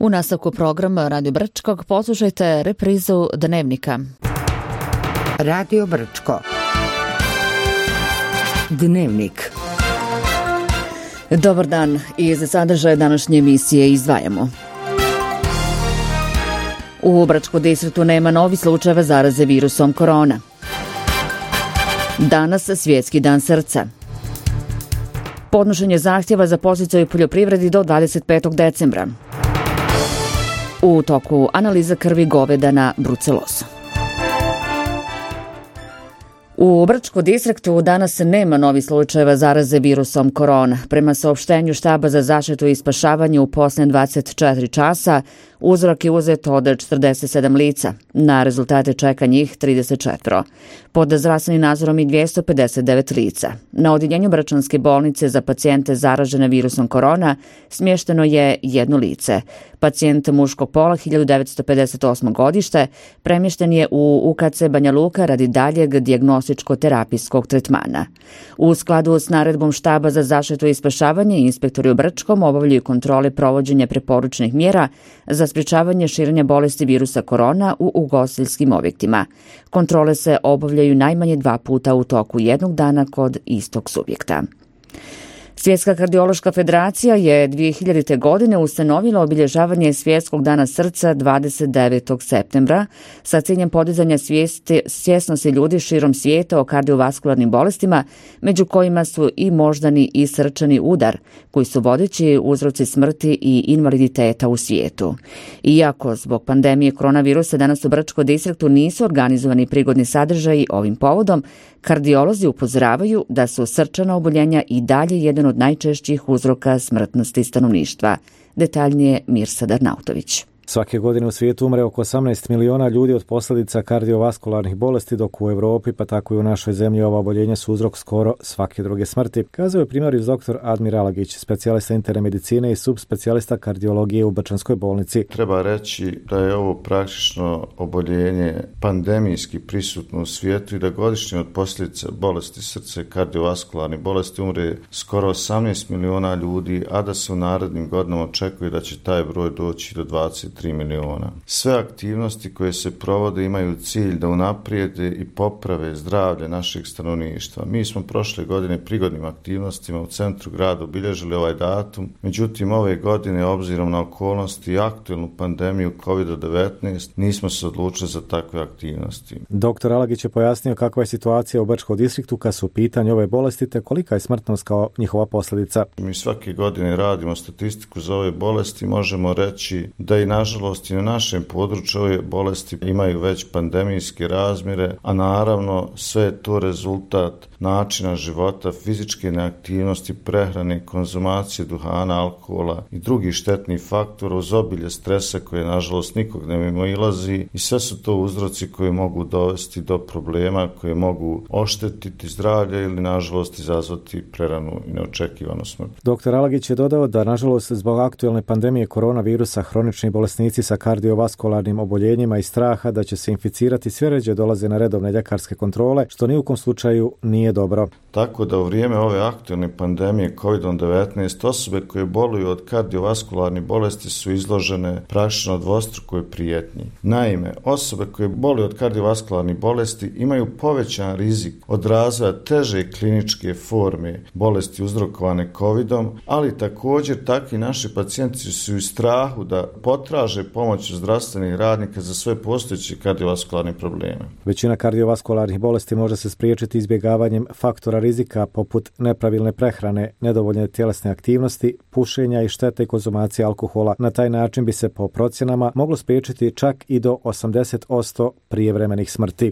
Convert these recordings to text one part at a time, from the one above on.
U nastavku programa Radio Brčkog poslušajte reprizu Dnevnika. Radio Brčko. Dnevnik. Dobar dan, iz sadržaja današnje emisije izdvajamo. U Brčkom distriktu nema novih slučajeva zaraze virusom korona. Danas Svjetski dan srca. Podnošenje zahtjeva za podsticaj u poljoprivredi do 25. decembra. U toku analiza krvi goveda na brucelozu. U Brčkom distriktu danas nema novih slučajeva zaraze virusom korona. Prema saopštenju Štaba za zaštitu i spašavanje u posljednje 24 časa, uzrok je uzet od 47 lica. Na rezultate čeka njih 34. Pod zdravstvenim nadzorom i 259 lica. Na odjeljenju Brčanske bolnice za pacijente zaražene virusom korona smješteno je jedno lice. Pacijent muškog pola 1958. godište premješten je u UKC Banja Luka radi daljeg dijagnostičko-terapijskog tretmana. U skladu s naredbom Štaba za zaštitu i spašavanje, inspektori u Brčkom obavljaju kontrole provođenja preporučenih mjera za sprječavanje širenja bolesti virusa korona u ugostiteljskim objektima. Kontrole se obavljaju najmanje 2 puta u toku jednog dana kod istog subjekta. Svjetska kardiološka federacija je 2000. godine ustanovila obilježavanje Svjetskog dana srca 29. septembra sa ciljem podizanja svjesnosti ljudi širom svijeta o kardiovaskularnim bolestima, među kojima su i moždani i srčani udar, koji su vodeći uzroci smrti i invaliditeta u svijetu. Iako zbog pandemije koronavirusa danas u Brčkom distriktu nisu organizovani prigodni sadržaji ovim povodom, kardiolozi upozoravaju da su srčana oboljenja i dalje jedan od najčešćih uzroka smrtnosti stanovništva. Detaljnije Mirsad Arnautović. Svake godine u svijetu umre oko 18 miliona ljudi od posljedica kardiovaskularnih bolesti, dok u Europi, pa tako i u našoj zemlji, ova oboljenja su uzrok skoro svake druge smrti. Kazao je primarius dr. Admir Alagić, specijalista interne medicine i subspecijalista kardiologije u Brčanskoj bolnici. Treba reći da je ovo praktično oboljenje pandemijski prisutno u svijetu i da godišnje od posljedica bolesti srca i kardiovaskularnih bolesti umre skoro 18 miliona ljudi, a da se u narednim godinama očekuje da će taj broj doći do 23 miliona. Sve aktivnosti koje se provode imaju cilj da unaprijede i poprave zdravlje našeg stanovništva. Mi smo prošle godine prigodnim aktivnostima u centru grada obilježili ovaj datum, međutim ove godine obzirom na okolnosti i aktualnu pandemiju COVID-19 nismo se odlučili za takve aktivnosti. Dr. Alagić je pojasnio kakva je situacija u Brčkom distriktu kad su u pitanju ove bolesti te kolika je smrtnost kao njihova posljedica. Mi svake godine radimo statistiku za ove bolesti, možemo reći da i nažalost i na našem području ove bolesti imaju već pandemijske razmjere, a naravno sve je to rezultat načina života, fizičke neaktivnosti, prehrane, konzumacije duhana, alkohola i drugih štetnih faktora uz obilje stresa koje nažalost nikog ne mimoilazi i sve su to uzroci koji mogu dovesti do problema koje mogu oštetiti zdravlje ili nažalost izazvati preranu i neočekivanu smrt. Dr. Alagić je dodao da nažalost zbog aktualne pandemije koronavirusa hronični bolesnici sa kardiovaskularnim oboljenjima i straha da će se inficirati sve ređe dolaze na redovne ljekarske kontrole, što ni u kom slučaju nije dobro. Tako da u vrijeme ove aktualne pandemije COVID-19 osobe koje boluju od kardiovaskularnih bolesti su izložene praktično dvostrukoj prijetnji. Naime, osobe koje boluju od kardiovaskularnih bolesti imaju povećan rizik od razvoja teže kliničke forme bolesti uzrokovane COVID-om, ali također takvi naši pacijenti su u strahu da potraže pomoć zdravstvenih radnika za sve postojeće kardiovaskularne probleme. Većina kardiovaskularnih bolesti može se spriječiti izbjegavanjem faktora rizika poput nepravilne prehrane, nedovoljne tjelesne aktivnosti, pušenja i štete konzumacije alkohola. Na taj način bi se po procjenama moglo spriječiti čak i do 80% prijevremenih smrti.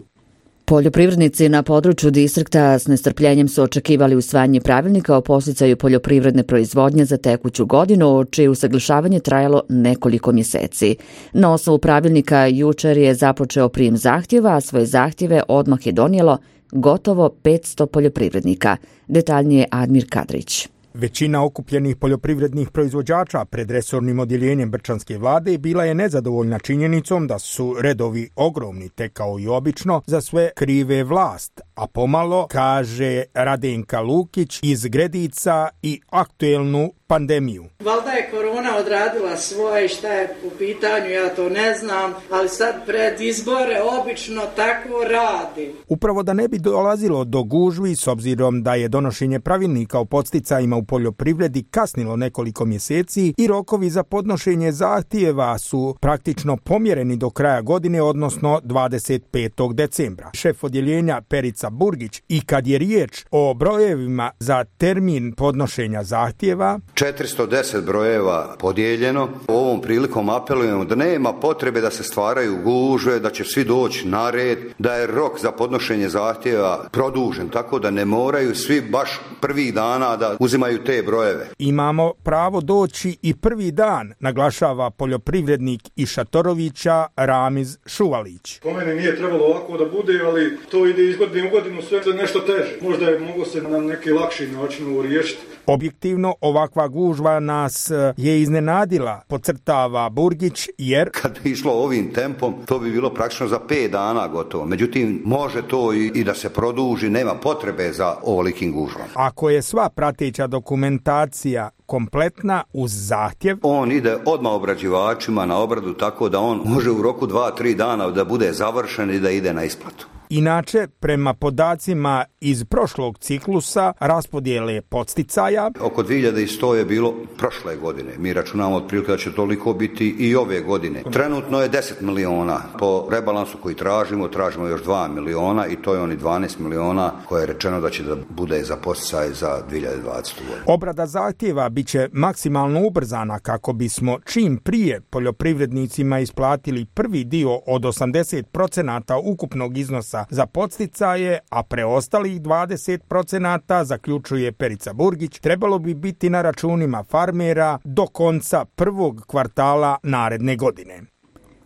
Poljoprivrednici na području distrikta s nestrpljenjem su očekivali usvajanje pravilnika o podsticaju poljoprivredne proizvodnje za tekuću godinu, čije usaglašavanje trajalo nekoliko mjeseci. Na osnovu pravilnika jučer je započeo prijem zahtjeva, a svoje zahtjeve odmah je donijelo gotovo 500 poljoprivrednika. Detaljnije Admir Kadrić. Većina okupljenih poljoprivrednih proizvođača pred resornim odjeljenjem brčanske vlade bila je nezadovoljna činjenicom da su redovi ogromni, te kao i obično za sve krive vlast, a pomalo, kaže Radenka Lukić iz Gredica i aktuelnu pandemiju. Valjda je korona odradila svoje, šta je u pitanju, ja to ne znam, ali sad pred izbore obično tako radi. Upravo da ne bi dolazilo do gužvi, s obzirom da je donošenje pravilnika o podsticajima u poljoprivredi kasnilo nekoliko mjeseci i rokovi za podnošenje zahtjeva su praktično pomjereni do kraja godine, odnosno 25. decembra. Šef odjeljenja Perica Burgić, i kad je riječ o brojevima za termin podnošenja zahtjeva, 410 brojeva podijeljeno. Ovom prilikom apelujemo da nema potrebe da se stvaraju gužve, da će svi doći na red, da je rok za podnošenje zahtjeva produžen, tako da ne moraju svi baš prvih dana da uzimaju te brojeve. Imamo pravo doći i prvi dan, naglašava poljoprivrednik iz Šatorovića Ramiz Šuvalić. Po meni nije trebalo ovako da bude, ali to ide iz godine u godinu sve za nešto teže. Možda je moglo se na neki lakši način riješiti. Objektivno, ovakva gužva nas je iznenadila, podcrtava Burgić, jer kad bi išlo ovim tempom, to bi bilo praktično za 5 dana gotovo. Međutim, može to i da se produži, nema potrebe za ovolikim gužvama. Ako je sva prateća dokumentacija kompletna uz zahtjev, on ide odmah obrađivačima na obradu, tako da on može u roku 2-3 dana da bude završen i da ide na isplatu. Inače, prema podacima iz prošlog ciklusa raspodjele podsticaja, oko 2100 je bilo prošle godine. Mi računamo otprilike da će toliko biti i ove godine. Trenutno je 10 miliona. Po rebalansu koji tražimo još 2 miliona i to je oni 12 miliona koje je rečeno da će da bude za podsticaj za 2020. godinu. Obrada zahtjeva bit će maksimalno ubrzana kako bismo čim prije poljoprivrednicima isplatili prvi dio od 80% ukupnog iznosa za podsticaje, a preostalih 20%, zaključuje Perica Burgić, trebalo bi biti na računima farmera do konca prvog kvartala naredne godine.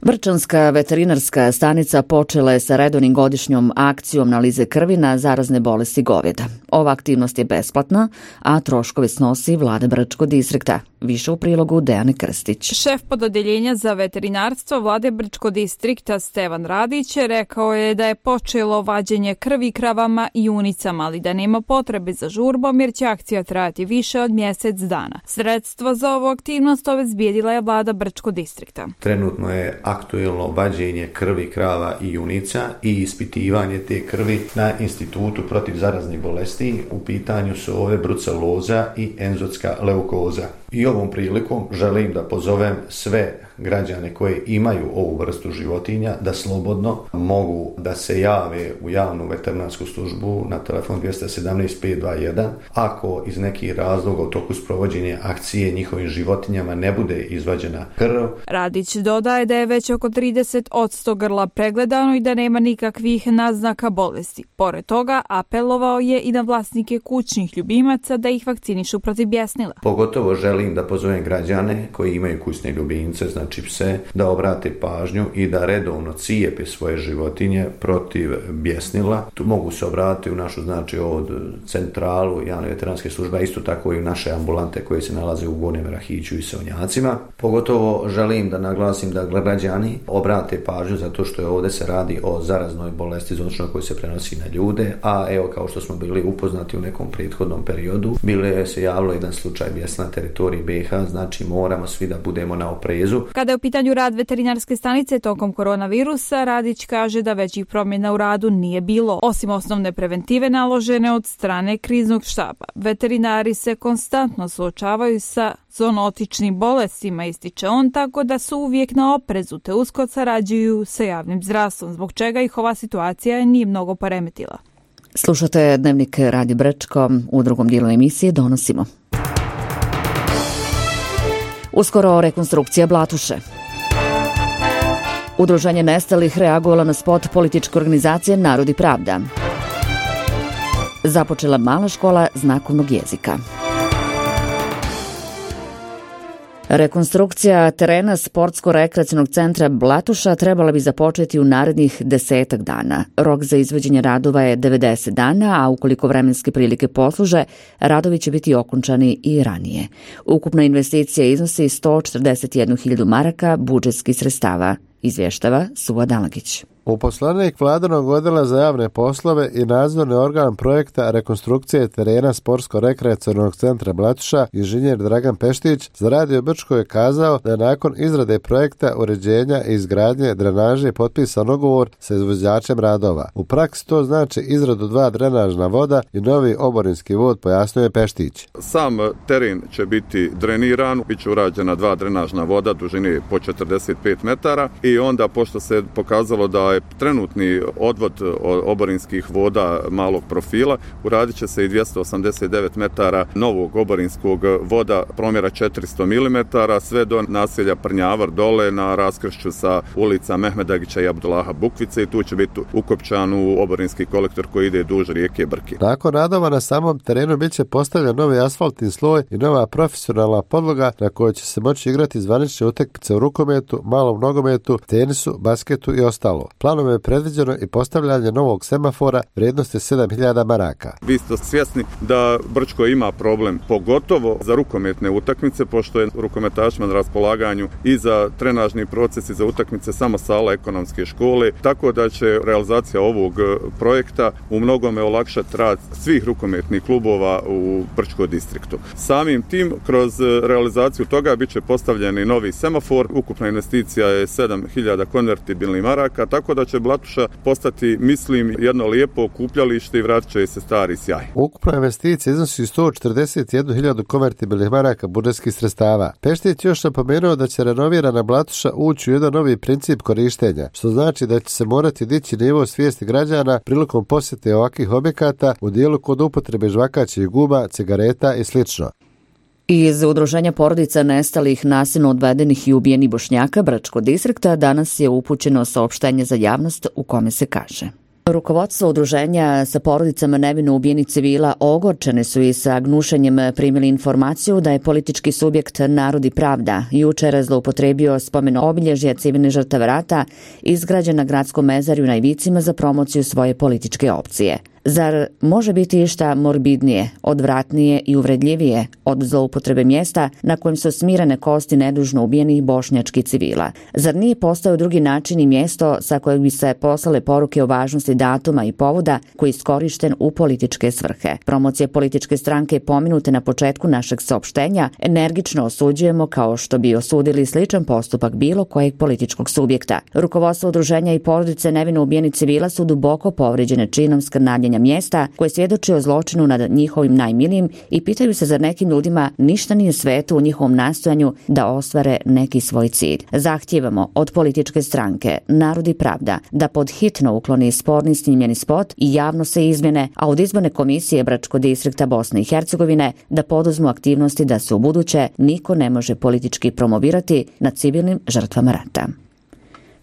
Vrčanska veterinarska stanica počela je sa redovnim godišnjom akcijom analize krvi na zarazne bolesti goveda. Ova aktivnost je besplatna, a troškove snosi vlada Brčkog distrikta. Više u prilogu Dejane Krstić. Šef pododeljenja za veterinarstvo vlade Brčkog distrikta Stevan Radić rekao je da je počelo vađenje krvi kravama i junicama, ali da nema potrebe za žurbom jer će akcija trajati više od mjesec dana. Sredstvo za ovu aktivnost obezbijedila je vlada Brčkog distrikta. Trenutno je aktuelno vađenje krvi krava i junica i ispitivanje te krvi na Institutu protiv zaraznih bolesti. U pitanju su ove bruceloza i enzotska leukoza. I ovom prilikom želim da pozovem sve građane koji imaju ovu vrstu životinja da slobodno mogu da se jave u javnu veterinarsku službu na telefon 217 521 ako iz nekih razloga u toku sprovođenja akcije njihovim životinjama ne bude izvađena krv. Radić dodaje da je već oko 30% grla pregledano i da nema nikakvih naznaka bolesti. Pored toga, apelovao je i na vlasnike kućnih ljubimaca da ih vakcinišu protiv bjesnila. Pogotovo želim da pozovem građane koji imaju kućne ljubimce, znači pse, da obrate pažnju i da redovno cijepe svoje životinje protiv bjesnila. Tu mogu se obratiti u našu, znači, od centralu javne veterinarske službe, a isto tako i u naše ambulante koje se nalaze u Gornjem Rahiću i Sevnjacima. Pogotovo želim da naglasim da građani obrate pažnju zato što je ovdje se radi o zaraznoj bolesti zoničnoj koja se prenosi na ljude, a evo kao što smo bili upoznati u nekom prethodnom periodu, bilo se javilo jedan slučaj bjesna na teritoriji BiH, znači moramo svi da budemo na oprezu. Kada je u pitanju rad veterinarske stanice tokom koronavirusa, Radić kaže da većih promjena u radu nije bilo, osim osnovne preventive naložene od strane kriznog štaba. Veterinari se konstantno suočavaju sa zoonotičnim bolestima, ističe on, tako da su uvijek na oprezu te usko sarađuju sa javnim zdravstvom, zbog čega ih ova situacija nije mnogo poremetila. Slušate Dnevnik Radio Brčko, u drugom dijelu emisije donosimo. Uskoro rekonstrukcija Blatuše. Udruženje nestalih reagovalo na spot političke organizacije Narod i pravda. Započela mala škola znakovnog jezika. Rekonstrukcija terena sportsko-rekreacionog centra Blatuša trebala bi započeti u narednih 10 dana. Rok za izvođenje radova je 90 dana, a ukoliko vremenske prilike posluže, radovi će biti okončani i ranije. Ukupna investicija iznosi 141.000 maraka budžetskih sredstava. izvještava Suva Dalagić. Uposlenik Vladinog odjela za javne poslove i nadzorni organ projekta rekonstrukcije terena Sportsko-rekreacionog centra Blatuša, inženjer Dragan Peštić, za Radio Brčko je kazao da je nakon izrade projekta uređenja i izgradnje drenaže potpisan ugovor sa izvođačem radova. U praksi to znači izradu 2 drenažna voda i novi oborinski vod, pojasnio je Peštić. Sam teren će biti dreniran, bit će urađena 2 drenažna voda dužine po 45 metara i onda pošto se pokazalo da je trenutni odvod oborinskih voda malog profila, uradit će se i 289 metara novog oborinskog voda promjera 400 mm, sve do naselja Prnjavar dole na raskršću sa ulica Mehmedagića i Abdullaha Bukvice i tu će biti ukopčan u oborinski kolektor koji ide duž rijeke Brki. Nakon radova na samom terenu bit će postavljen novi asfaltni sloj i nova profesionalna podloga na kojoj će se moći igrati zvanične utakmice u rukometu, malom nogometu, tenisu, basketu i ostalo. Planom je predviđeno i postavljanje novog semafora vrijednosti 7.000 maraka. Vi ste svjesni da Brčko ima problem, pogotovo za rukometne utakmice, pošto je rukometašima na raspolaganju i za trenažni proces i za utakmice samo sala ekonomske škole, tako da će realizacija ovog projekta u mnogome olakšati rad svih rukometnih klubova u Brčko distriktu. Samim tim, kroz realizaciju toga bit će postavljeni novi semafor, ukupna investicija je 7.000 konvertibilnih maraka, tako da će Blatuša postati, mislim, jedno lijepo okupljalište i vratit će se stari sjaj. Ukupna investicija iznosi 141.000 konvertibilnih maraka budžetskih sredstava. Peštić još napomenuo da će renovirana Blatuša ući u jedan novi princip korištenja, što znači da će se morati dići nivo svijesti građana prilikom posjete ovakvih objekata u dijelu kod upotrebe žvakaćih guba, cigareta i slično. Iz Udruženja porodica nestalih, nasilno odvedenih i ubijenih Bošnjaka Brčkog distrikta danas je upućeno saopštenje za javnost u kome se kaže: rukovodstvo udruženja sa porodicama nevino ubijenih civila ogorčene su i sa gnušenjem primili informaciju da je politički subjekt Narod i pravda jučer zloupotrebio spomen obilježja civilnih žrtava rata izgrađen na gradskom mezarju na Ivicima za promociju svoje političke opcije. Zar može biti išta morbidnije, odvratnije i uvredljivije od zloupotrebe mjesta na kojem su smirene kosti nedužno ubijenih bošnjačkih civila? Zar nije postao drugi način i mjesto sa kojeg bi se poslale poruke o važnosti datuma i povoda koji je iskorišten u političke svrhe? Promocije političke stranke pominute na početku našeg saopštenja energično osuđujemo, kao što bi osudili sličan postupak bilo kojeg političkog subjekta. Rukovodstvo udruženja i porodice nevino ubijenih civila su duboko povrijeđene činom skrnavljenja mjesta koje svjedoči o zločinu nad njihovim najmilijim i pitaju se zar nekim ljudima ništa nije sveto u njihovom nastojanju da ostvare neki svoj cilj. Zahtijevamo od političke stranke Narod i pravda da pod hitno ukloni sporni snimljeni spot i javno se izmjene, a od izborne komisije Brčkog distrikta Bosne i Hercegovine da poduzmu aktivnosti da se u buduće niko ne može politički promovirati nad civilnim žrtvama rata.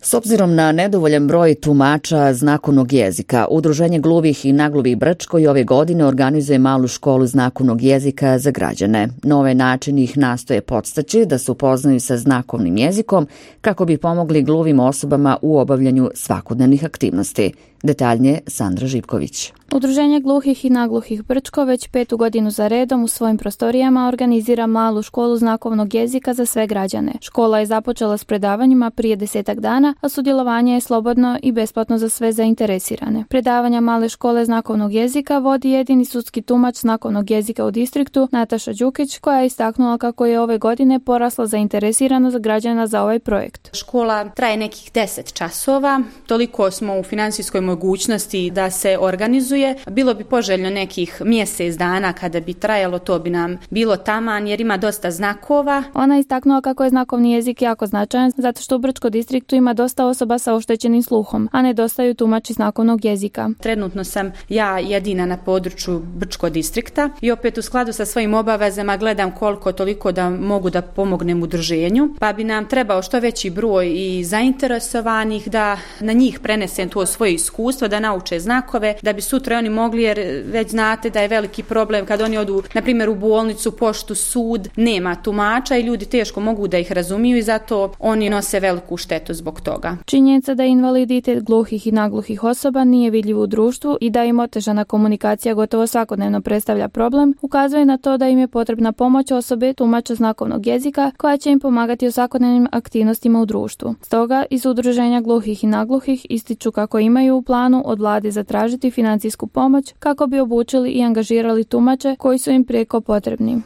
S obzirom na nedovoljan broj tumača znakovnog jezika, Udruženje gluvih i nagluvih Brčko i ove godine organizuje malu školu znakovnog jezika za građane. Na ovaj način ih nastoje podstaći da se upoznaju sa znakovnim jezikom kako bi pomogli gluvim osobama u obavljanju svakodnevnih aktivnosti. Detaljnije Sandra Živković. Udruženje gluhih i nagluhih Brčko već 5. godinu za redom u svojim prostorijama organizira malu školu znakovnog jezika za sve građane. Škola je započela s predavanjima prije 10 dana, a sudjelovanje je slobodno i besplatno za sve zainteresirane. Predavanja male škole znakovnog jezika vodi jedini sudski tumač znakovnog jezika u distriktu Nataša Đukić, koja je istaknula kako je ove godine porasla zainteresiranost građana za ovaj projekt. Škola traje nekih 10 časova, toliko smo u financijskoj mogućnosti da se organizuje. Bilo bi poželjno nekih mjesec dana kada bi trajalo, to bi nam bilo taman jer ima dosta znakova. Ona je istaknula kako je znakovni jezik jako značajan zato što u Brčkom distriktu ima dosta osoba sa oštećenim sluhom, a nedostaju tumači znakovnog jezika. Trenutno sam ja jedina na području Brčkog distrikta i opet u skladu sa svojim obavezama gledam koliko toliko da mogu da pomognem udruženju, pa bi nam trebao što veći broj i zainteresovanih da na njih prenesem to svoje iskustvo, da nauče znakove, da bi sutra sutra oni mogli, jer već znate da je veliki problem kad oni odu, na primjer, u bolnicu, poštu, sud, nema tumača i ljudi teško mogu da ih razumiju i zato oni nose veliku štetu zbog toga. Činjenica da invaliditet gluhih i nagluhih osoba nije vidljiv u društvu i da im otežana komunikacija gotovo svakodnevno predstavlja problem, ukazuje na to da im je potrebna pomoć osobe tumača znakovnog jezika koja će im pomagati u svakodnevnim aktivnostima u društvu. Stoga iz Udruženja gluhih i nagluhih ističu kako imaju u planu od vlade zatražiti financijsku pomoć kako bi obučili i angažirali tumače koji su im prijeko potrebni.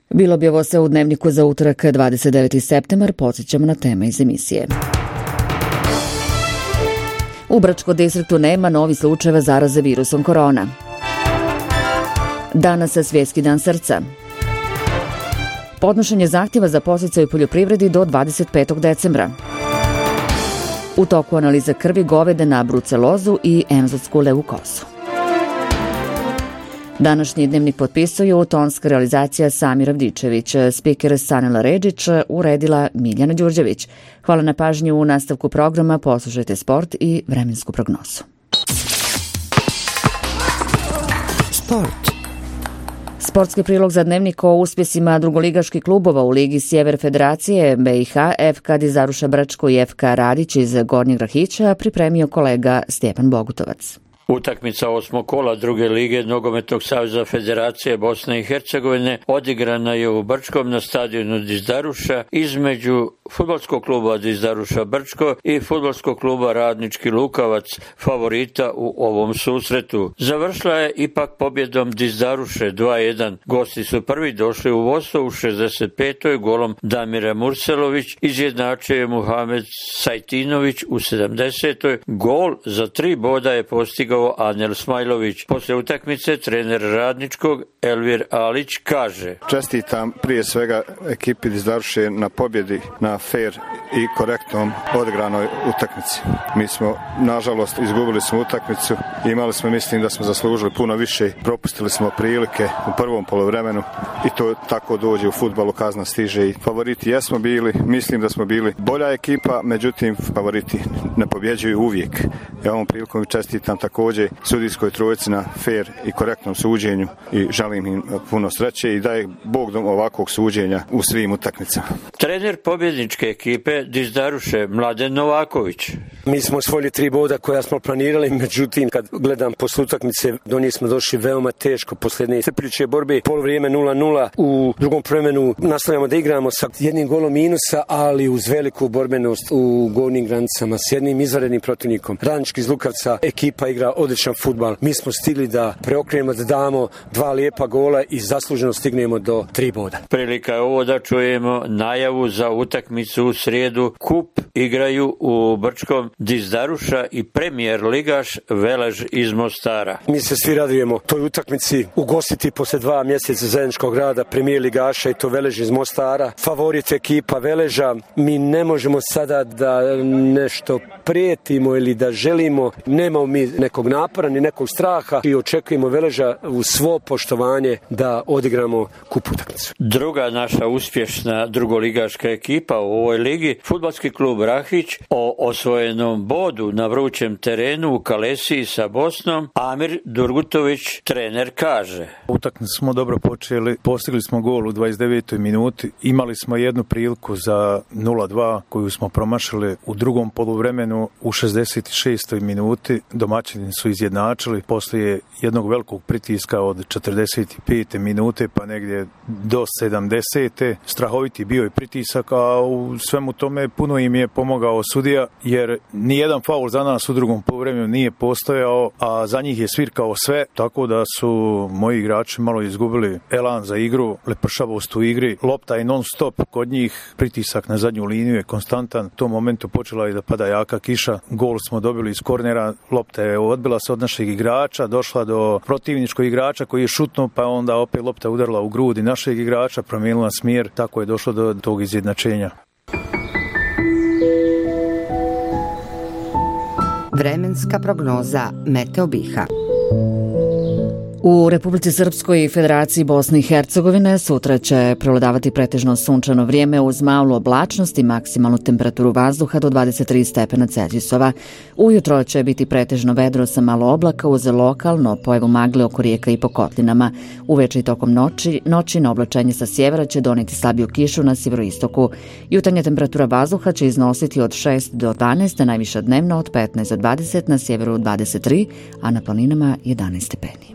Bilo bi ovo sve u Dnevniku za utorak 29. septembar. Podsjećamo na teme iz emisije. U Brčkom distriktu nema novih slučajeva zaraze virusom korona. Danas je Svjetski dan srca. Podnošenje zahtjeva za podsticaj u poljoprivredi do 25. decembra. U toku analize krvi govede na brucelozu i enzotsku leukozu. Današnji Dnevnik potpisuju tonska realizacija Samir Avdičević, spiker Sanela Redžić, uredila Miljana Đurđević. Hvala na pažnju. U nastavku programa poslušajte sport i vremensku prognozu. Sport. Sportski prilog za Dnevnik o uspjesima drugoligaških klubova u Ligi Sjever Federacije BiH, FK Dizaruša Brčko i FK Radić iz Gornjeg Rahića pripremio kolega Stjepan Bogutovac. Utakmica 8. kola druge lige Nogometnog saveza Federacije Bosne i Hercegovine odigrana je u Brčkom na stadionu Dizdaruša između fudbalskog kluba Dizdaruša Brčko i fudbalskog kluba Radnički Lukavac, favorita u ovom susretu. Završila je ipak pobjedom Dizdaruše 2-1. Gosti su prvi došli u vodstvo u 65. golom Damira Murselović, izjednačio je Muhamed Sajtinović u 70. Gol za 3 boda je postigao Anel Smajlović. Poslije utakmice trener Radničkog Elvir Alić kaže: Čestitam prije svega ekipi Dizdaruše na pobjedi na fair i korektnom odigranoj utakmici. Mi smo, nažalost, izgubili smo utakmicu, imali smo, mislim da smo zaslužili puno više, propustili smo prilike u prvom poluvremenu i to tako dođe u fudbalu, kazna stiže i favoriti jesmo bili, mislim da smo bili bolja ekipa, međutim favoriti ne pobjeđuju uvijek. Ja ovom prilikom čestitam također sudijskoj trojici na fair i korektnom suđenju i želim im puno sreće i daje Bog dom ovakvog suđenja u svim utakmicama. Trener pobjedničke ekipe Dizdaruše Mladen Novaković: Mi smo osvojili 3 boda koja smo planirali, međutim kad gledam posle utakmice do nje smo došli veoma teško. Posljednje iscrpljujuće borbe, polovrijeme 0-0, u drugom vremenu nastavljamo da igramo sa 1 golom minusa, ali uz veliku borbenost u gornjim granicama s jednim izvanrednim protivnikom. Radnički iz Lukavca ekipa igra odličan fudbal. Mi smo stigli da preokrenemo, da damo 2 lijepa gola i zasluženo stignemo do 3 boda. Prilika je ovo da čujemo najavu za utakmicu u srijedu. Kup igraju u Brčkom Dizdaruša i premijer ligaš Velež iz Mostara. Mi se svi radujemo toj utakmici, ugostiti posle 2 mjeseca zajedničkog rada premijer ligaša i to Velež iz Mostara. Favorit ekipa Veleža. Mi ne možemo sada da nešto prijetimo ili da želimo, nemamo mi nekog napora ni nekog straha i očekujemo Veleža uz svo poštovanje da odigramo kup utakmicu. Druga naša uspješna drugoligaška ekipa u ovoj ligi, fudbalski klub Rahić, o osvojenom bodu na vrućem terenu u Kalesiji sa Bosnom, Amir Durgutović, trener, kaže: Utakmicu smo dobro počeli, postigli smo gol u 29. minuti, imali smo jednu priliku za 0-2 koju smo promašili u drugom poluvremenu. U 66. minuti domaćini su izjednačili poslije jednog velikog pritiska od 45. minute pa negdje do 70. Strahoviti bio je pritisak, a u svemu tome puno im je pomogao sudija, jer nijedan faul za nas u drugom poluvremenu nije postojao, a za njih je svirkao sve, tako da su moji igrači malo izgubili elan za igru, lepršavost u igri, lopta je non stop kod njih, pritisak na zadnju liniju je konstantan. U tom momentu počela je da pada jaka kiša, gol smo dobili iz kornera, lopta je odbila se od našeg igrača, došla do protivničkog igrača koji je šutnuo, pa onda opet lopta udarila u grudi našeg igrača, promijenila smjer, tako je došlo do tog izjednačenja. Vremenska prognoza Meteo Biha. U Republici Srpskoj i Federaciji Bosne i Hercegovine sutra će prevladavati pretežno sunčano vrijeme uz malu oblačnost i maksimalnu temperaturu vazduha do 23 stepena Celzijusova. Ujutro će biti pretežno vedro sa malo oblaka uz lokalno pojavu magle oko rijeka i po kotlinama. Uveče i tokom noći na oblačenje sa sjevera će doneti slabiju kišu na sjeveroistoku. Jutarnja temperatura vazduha će iznositi od 6 do 12, a najviša dnevno od 15 do 20, na sjeveru 23, a na planinama 11 stepeni.